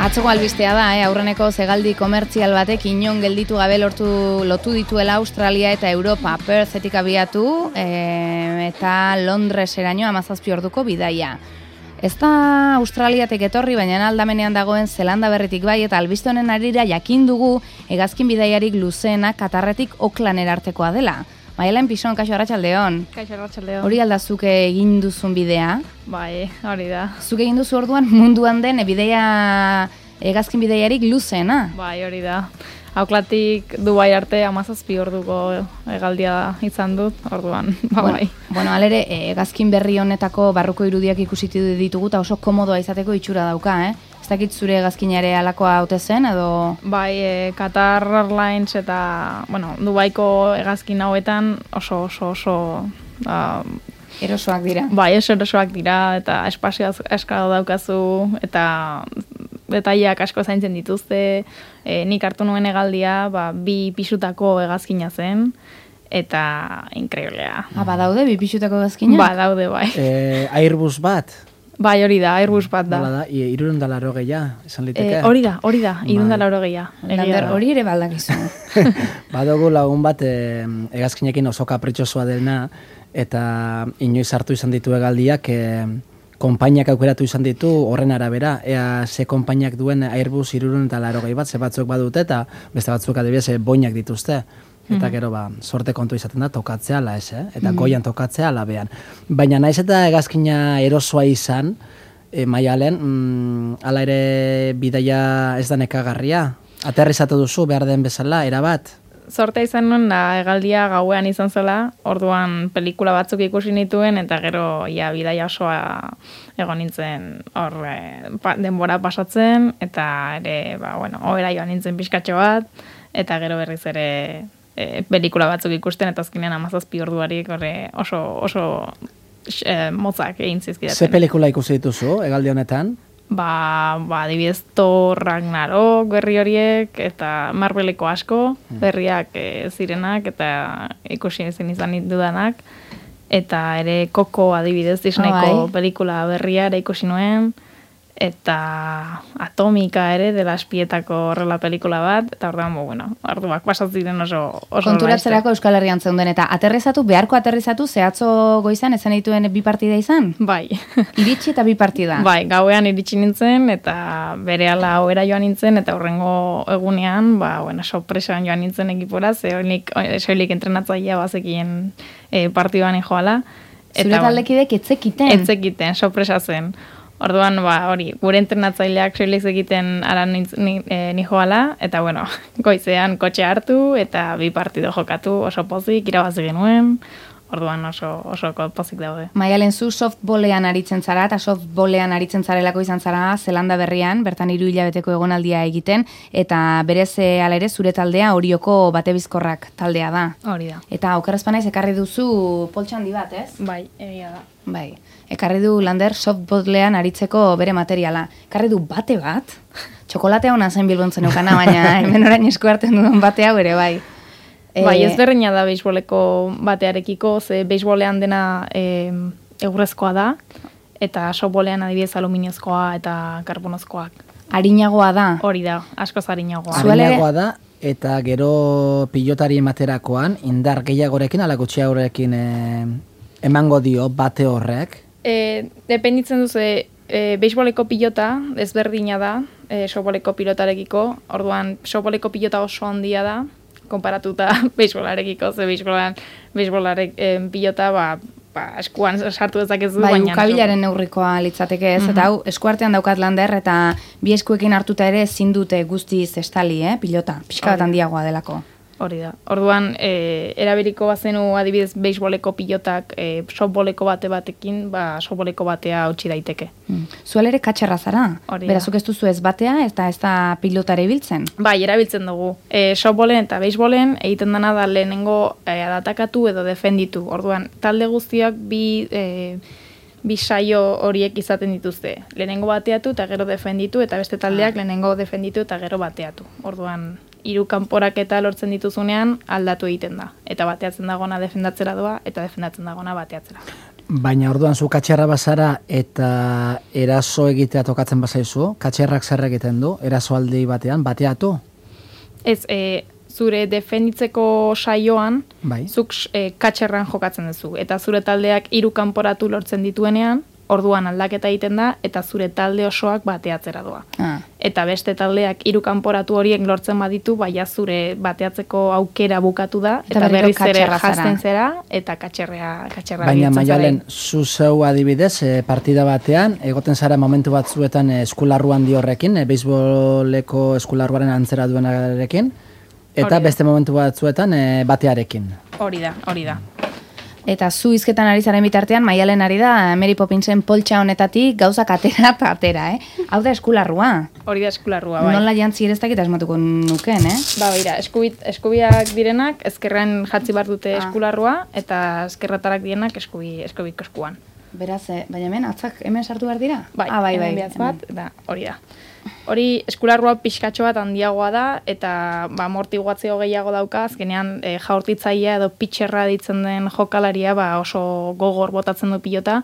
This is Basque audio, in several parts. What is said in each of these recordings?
Atzoko albistea da, aurreneko zegaldi komertzial batek inon gelditu gabe lotu dituela Australia eta Europa. Perthetik abiatu eta Londreseraino 17 orduko bidaia. Ez da Australiatik etorri, baina aldamenean dagoen Zelanda berritik bai, eta albiste honen arira jakin dugu hegazkin bidaiarik luzeena Katarretik Aucklandera artekoa dela. Maialen Pison, kaixo arratsaldeon. Kaixo arratsaldeon. Hori aldazuke egin duzun bidea? Bai, hori da. Zuk egin duzu orduan munduan den hegazkin bidaiarik luzeena? Bai, hori da. Aucklandtik Dubai arte 17 orduko hegaldia izan dut, orduan. Bai. Bueno, alere, hegazkin berri honetako barruko irudiak ikusitu ditugu eta oso komodoa izateko itxura dauka, Ez dakit zure hegazkinare alakoa haute zen, edo... Bai, Qatar Airlines eta, Dubaiko hegazkin hauetan oso erosoak dira. Bai, erosoak dira, eta espazio asko daukazu, eta detaileak asko zaintzen dituzte. Nik hartu nuen hegaldia, 2 pisutako hegazkina zen, eta inkreiblea. Badaude 2 pisutako hegazkina? Badaude, bai. Airbus bat? Bai, hori da, Airbus bat da. Nola da, 380 esan liteke? Hori da, 380. Lander, hori ere baldakizu. Badugu lagun bat hegazkinekin oso kapritxosua dena, eta inoiz hartu izan ditu hegaldiak, konpainiak aukeratu izan ditu horren arabera, ea ze konpainiak duen Airbus 380 bat, ze batzuk badute, eta beste batzuk adibidez boinak dituzte. Eta gero, sorte kontu izaten da, tokatzea ala ez, eta goian tokatzea ala behan. Baina naiz eta hegazkina erosoa izan, Maialen, ala ere bidaia ez da nekagarria. Aterrizatu duzu behar den bezala, erabat? Sortea izan nuen da hegaldia gauean izan zela, orduan pelikula batzuk ikusi nituen, eta gero bidaia osoa egon nintzen hor denbora pasatzen, eta ere, ohera joan nintzen pixkatxo bat, eta gero berriz ere pelikula batzuk ikusten, eta azkenean 17 orduarik oso motzak egin zizkidaten. Ze pelikula ikusi dituzu, hegaldi honetan? Adibidez Thor, Ragnarok, berri horiek, eta Marveleko asko, berriak zirenak, eta ikusi izan dudanak, eta ere Coco adibidez Disneyko pelikula berria ere ikusi nuen, eta Atomika ere dela espietako horrela pelikula bat, eta orduan, arduak pasatzen oso konturatzerako Euskal Herrian zeuden, eta beharko aterrizatu, zehatzo goizan ezan dituen 2 partida izan? Bai. Iritsi eta 2 partida? Bai, gauean iritsi nintzen, eta berehala ohera joan nintzen, eta horrengo egunean, sorpresan joan nintzen ekipora, soilik entrenatzailea bazekien partiduan joala. Zure taldekidek etzekiten? Etzekiten, sorpresa zen. Orduan, gure entrenatzaileak soilik egiten ara ni joala, eta goizean kotxe hartu, eta 2 partido jokatu, oso pozik, irabazi genuen, orduan oso pozik daude. Maialen, zu softballean aritzen zara, eta softballean aritzen zarelako izan zara Zelanda berrian, bertan 3 hilabeteko egonaldia egiten, eta berez ala ere zure taldea Orioko Batebizkorrak taldea da. Hori da. Eta okerrezpanaiz ekarri duzu poltsandi bat, ez? Bai, egia da. Bai, ekarri du Lander softballean aritzeko bere materiala. Ekarri du bate bat, txokolatea hona zen Bilbontzen eukana, baina hemen orain esku hartzen duen bate hau ere, bai. Bai, ez berdina da beisboleko batearekiko, ze beisbolean dena egurrezkoa da, eta softballean adibidez aluminiozkoa eta karbonozkoak. Arinagoa da? Hori da, askoz arinagoa. Arinagoa da, eta gero pilotari ematerakoan, indar gehiagorekin, ala gutxiagorekin emango dio bate horrek? Dependitzen duze, beisboleko pilota ezberdina da, softballeko pilotarekiko, orduan softballeko pilota oso handia da, konparatuta beisbolarekiko, ze beisbolarek pilota, eskuan sartu dezakezu, baina... Ukabilaren neurrikoa litzateke ez, eta hau eskuartean daukat Lander, eta 2 eskuekin hartuta ere ezin dute guztiz estali, pilota, pixka bat handiagoa delako. Hori da. Orduan, erabiliko bazenu adibidez beisboleko pilotak softballeko batekin, softballeko batea hautsi daiteke. Zuel ere katxerra zara? Berazuk ez duzu ez batea, eta ez da pilotare biltzen? Bai, erabiltzen dugu. Softballen eta beisbollen egiten dena da lehenengo adatakatu edo defenditu. Orduan, talde guztiak bi saio horiek izaten dituzte. Lehenengo bateatu eta gero defenditu, eta beste taldeak lehenengo defenditu eta gero bateatu. Orduan, 3 kanporaketa lortzen dituzunean aldatu egiten da. Eta bateatzen dagona defendatzera doa, eta defendatzen dagona bateatzera. Baina orduan zu katxerra bazara eta eraso egitea tokatzen bazaizu, katxerrak zer egiten du, erasoaldi batean, bateatu? Ez, zure defenditzeko saioan, Bai. zuk katxerran jokatzen duzu. Eta zure taldeak 3 kanporatu lortzen dituenean, orduan aldaketa egiten da, eta zure talde osoak bateatzera doa. Eta beste taldeak 3 kanporatu horiek lortzen baditu, baina zure bateatzeko aukera bukatu da, eta berriz ere jazten zera, eta katxerra Baina Maialen, zu zeu adibidez, partida batean, egoten zara momentu batzuetan eskularruan horrekin, beisboleko eskularruaren antzera duenarekin, eta beste momentu batzuetan batearekin. Hori da. Eta zu hizketan ari zaren bitartean, Maialen ari da Mary Poppinsen poltsa honetatik gauzak atera eta atera, Hau da eskularrua. Hori da eskularrua, bai. Nola jantzi ere ez dakit asmatuko nuken, Ba, beira, eskubiak direnak, ezkerren jatzi bar dute eskularrua, eta ezkerratarak direnak eskubiko eskuan. Beraz, baina hemen, atzak hemen sartu behar dira? Bai, bai. bat, eta hori da. Hori eskularrua pixkatxo bat handiagoa da, eta amortiguatzio gehiago dauka, azkenean jaurtitzailea edo pitxerra ditzen den jokalaria oso gogor botatzen du pilota,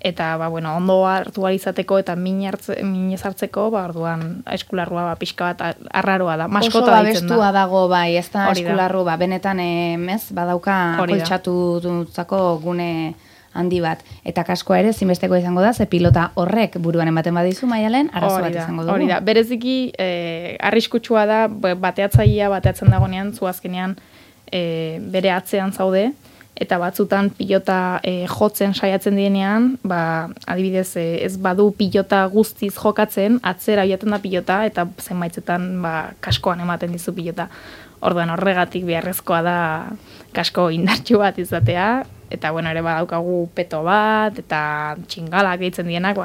eta ondo hartu izateko eta minez hartzeko, orduan eskularrua pixka bat arraroa da, maskota ditzen da. Oso babestua dago, bai, ez da eskularru, benetan badauka koltxatutzako gune handi bat. Eta kaskoa ere zinbesteko izango da, ze pilota horrek buruan ematen badizu, Maialen, arazo bat izango dugu. Hori da, bereziki arriskutsua da, bateatzailea bateatzen dagonean, zu azkenean bere atzean zaude, eta batzutan pilota jotzen saiatzen dienean, adibidez ez badu pilota guztiz jokatzen, atzera joaten da pilota, eta zenbaitzetan kaskoan ematen dizu pilota. Orduan horregatik beharrezkoa da kasko indartsu bat izatea, eta ere badaukagu peto bat, eta txingalak deitzen dienak,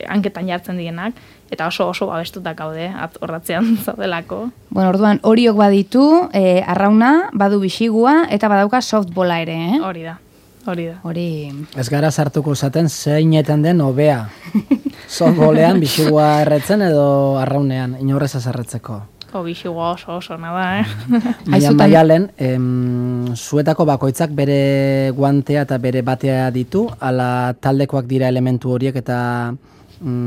hanketan jartzen dienak, eta oso babestutak gaude, horratzean zaudelako. Orduan horiok baditu, arrauna, badu bisigua, eta badauka softbola ere, Hori da. Hori... Ez gara sartuko zaten zeinetan den hobea. Softbolean bisigua erretzen edo arraunean, inorrez azarretzeko. Bisigua oso nada, Baina Maialen, zuetako bakoitzak bere guantea eta bere batea ditu, ala taldekoak dira elementu horiek eta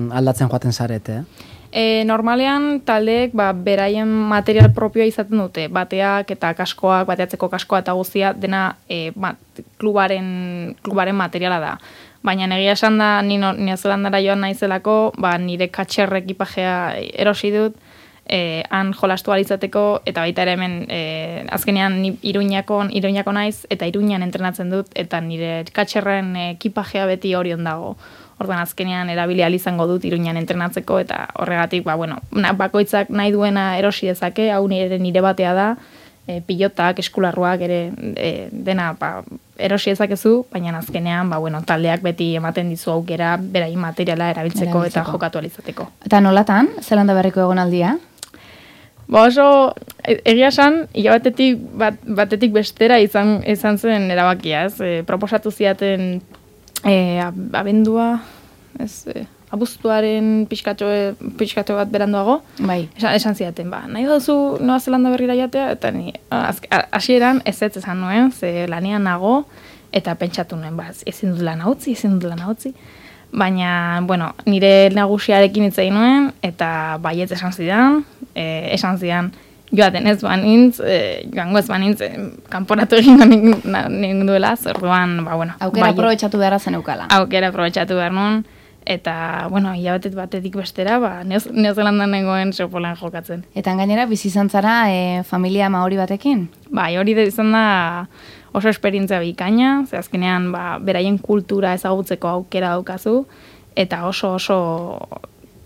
aldatzen joaten zarete, Normalean taldeek beraien material propioa izaten dute, bateak eta kaskoak, bateatzeko kaskoa eta guztia, dena klubaren materiala da. Baina egia esan da, ni Neozelandara joan naizelako, nire katxerre ekipajea erosi dut, han jolastu alizateko, eta baita ere hemen azkenean ni Iruñako naiz, eta Iruñan entrenatzen dut, eta nire katxerren ekipajea beti orion dago. Orduan azkenean erabili izango dut Iruñan entrenatzeko, eta horregatik, bakoitzak nahi duena erosi dezake, hau nire batea da, pilotak, eskularruak ere dena erosi ezakezu, baina azkenean taldeak beti ematen dizu aukera beraien materiala erabiltzeko eta jokatu alizateko. Eta nolatan, Zelanda Berriko egonaldia? Oso, egia esan, batetik bestera izan zen erabakia, proposatu ziaten abendua, abuztuaren pixkatxo bat beranduago, esan ziaten, nahi duzu Noa Zelanda Berrira jatea, eta ni hasieran ez esan nuen, ze lanean nago, eta pentsatu nuen, ezin dut lana utzi, baina, nire nagusiarekin hitz egin nuen, eta baietz esan zidan, joaten ez banintz, joango ez banintz, kanporatu egingo ningu duela, zorduan, Aukera aprobetxatu beharra zen eukala. Aukera aprobetxatu behar nun, eta, batetik bestera, Neozelandan nengoen sopolan jokatzen. Eta gainera, bizi izan zara familia maori batekin? Hori izan da oso esperientzia bikaina, ze azkenean, beraien kultura ezagutzeko aukera daukazu, eta oso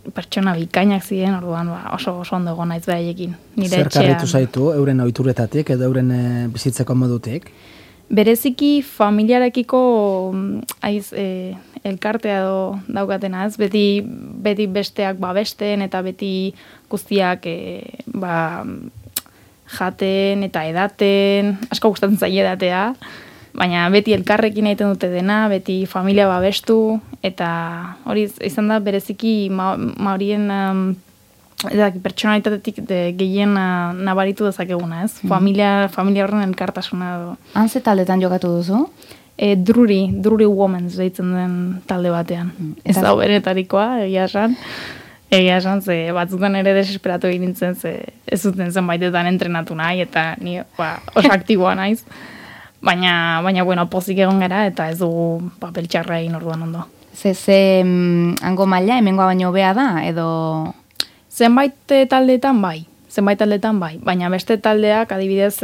pertsona bikainak ziren, orduan oso ondo egon naiz beraiekin. Zer karritu zaitu, euren ohituretatik edo euren bizitzeko modutik? Bereziki familiarekiko elkartea daukatena, ez? Beti besteak babesten eta beti guztiak jaten eta edaten, asko gustatzen zaie edatea, baina beti elkarrekin egiten dute dena, beti familia babestu, eta hori izan da bereziki maorien pertsonalitatetik gehien nabaritu dezakeguna, ez? Familia horren elkartasuna. Han ze taldetan jokatu duzu? Drury Women's deitzen den talde batean. Ez da beretarikoa, egia esan. Egia esan, ze batzutan ere desesperatu egin nintzen, ze ez zuten zenbaitetan entrenatu nahi, eta ni oso aktiboa naiz. Baina, bueno, pozik egon gara, eta ez dugu papel txarra egin orduan ondo. Ze hango maila, hemengoa baino hobea da, edo... Zenbait taldeetan bai, baina beste taldeak adibidez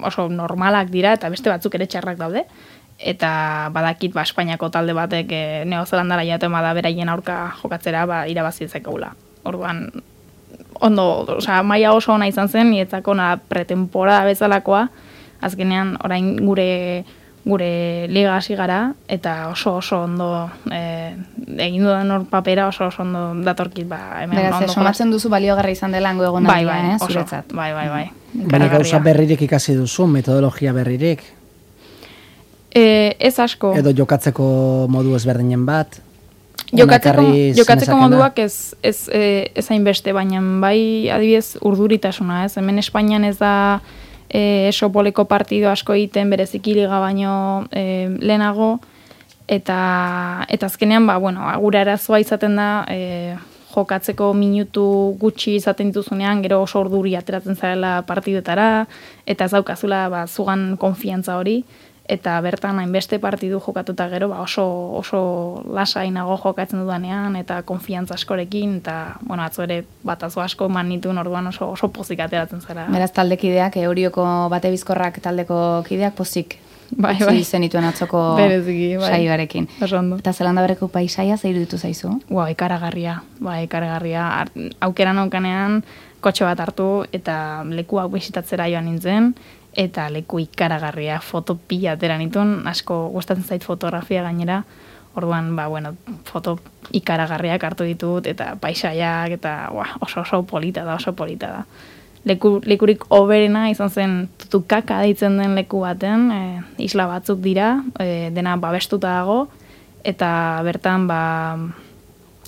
oso normalak dira, eta beste batzuk ere txarrak daude. Eta badakit Espainiako talde batek Neozelandara jaten bada beraien aurka jokatzera irabazi ezakegula. Orduan, ondo, maila oso ona izan zen, nietzako pretemporada bezalakoa, azkenean orain gure liga hasi gara, eta oso ondo egin dudan hor papera oso ondo datorkit hemen. Beraz, somatzen duzu baliogarri izan dela hango egonaldia, zuretzat. Bai. Baina gauza berririk ikasi duzu, metodologia berririk? Ez asko. Edo jokatzeko modu ezberdinen bat? Jokatzeko moduak ez hainbeste, baina bai adibidez urduritasuna, ez? Hemen Espainian ez da esopoleko partido asko egiten bereziki liga baino lehenago, eta azkenean, gure arazoa izaten da jokatzeko minutu gutxi izaten dituzunean, gero oso urduri ateratzen zarela partidetara, eta ez daukazula zugan konfiantza hori, eta bertan hainbeste partidu jokatuta gero oso lasainago jokatzen dudanean eta konfiantza askorekin eta atzo ere batazo asko eman nituen orduan oso pozik ateratzen zara. Beraz taldekideak Eurioko bate bizkorrak taldeko kideak pozik bai zenituen atzoko saioarekin. Eta Zelanda Berriko paisaia ze iruditu zaizu? Ikaragarria. Aukera naukanean kotxe bat hartu eta lekuak bisitatzera joan nintzen. Eta leku ikaragarria, foto pila atera nituen, asko gustatzen zait fotografia gainera, orduan, foto ikaragarriak hartu ditut, eta paisaiak, eta oso polita da. Lekurik oberena izan zen Tutukaka deitzen den leku baten, isla batzuk dira, dena babestuta dago, eta bertan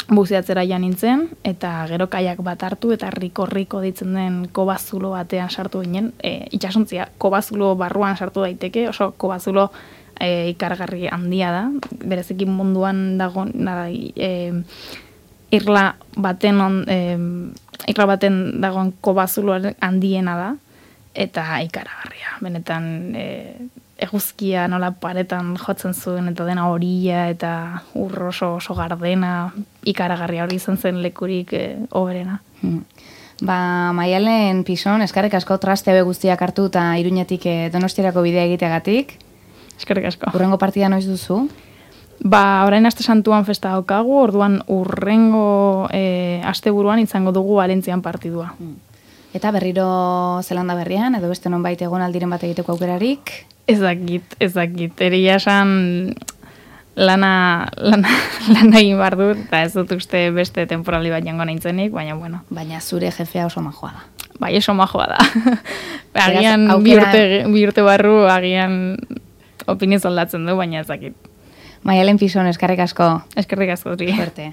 buzeatzera joan nintzen, eta gero kaiak bat hartu, eta riko ditzen den kobazulo batean sartu ginen, itxasontzia kobazulo barruan sartu daiteke, oso kobazulo ikargarri handia da, berezekin munduan dago irla baten dagoen kobazulo handiena da, eta ikaragarria, benetan eguzkia nola paretan jotzen zuen, eta dena horia, eta oso gardena, ikaragarria hori izan zen lekurik oberena. Maialen Pison, eskerrik asko traste hau guztiak hartu eta Iruñetik Donostiarako bidea egiteagatik. Eskerrik asko. Urrengo partida noiz duzu? Orain aste santuan festa daukagu, orduan urrengo asteburuan izango dugu Valentzian partidua. Eta berriro Zelanda Berrian, edo beste nonbait egonaldiren bat egiteko aukerarik? Ez dakit. Eria esan lana egin behar dut, eta ez dut uste beste temporali bat jango nintzenik, baina bueno. Baina zure jefea oso majoa da. Bai, oso majoa da. Agian bi urte barru, agian opinioz aldatzen du, baina ez dakit. Maialen Pison, eskerrik asko. Eskerrik asko, Suerte.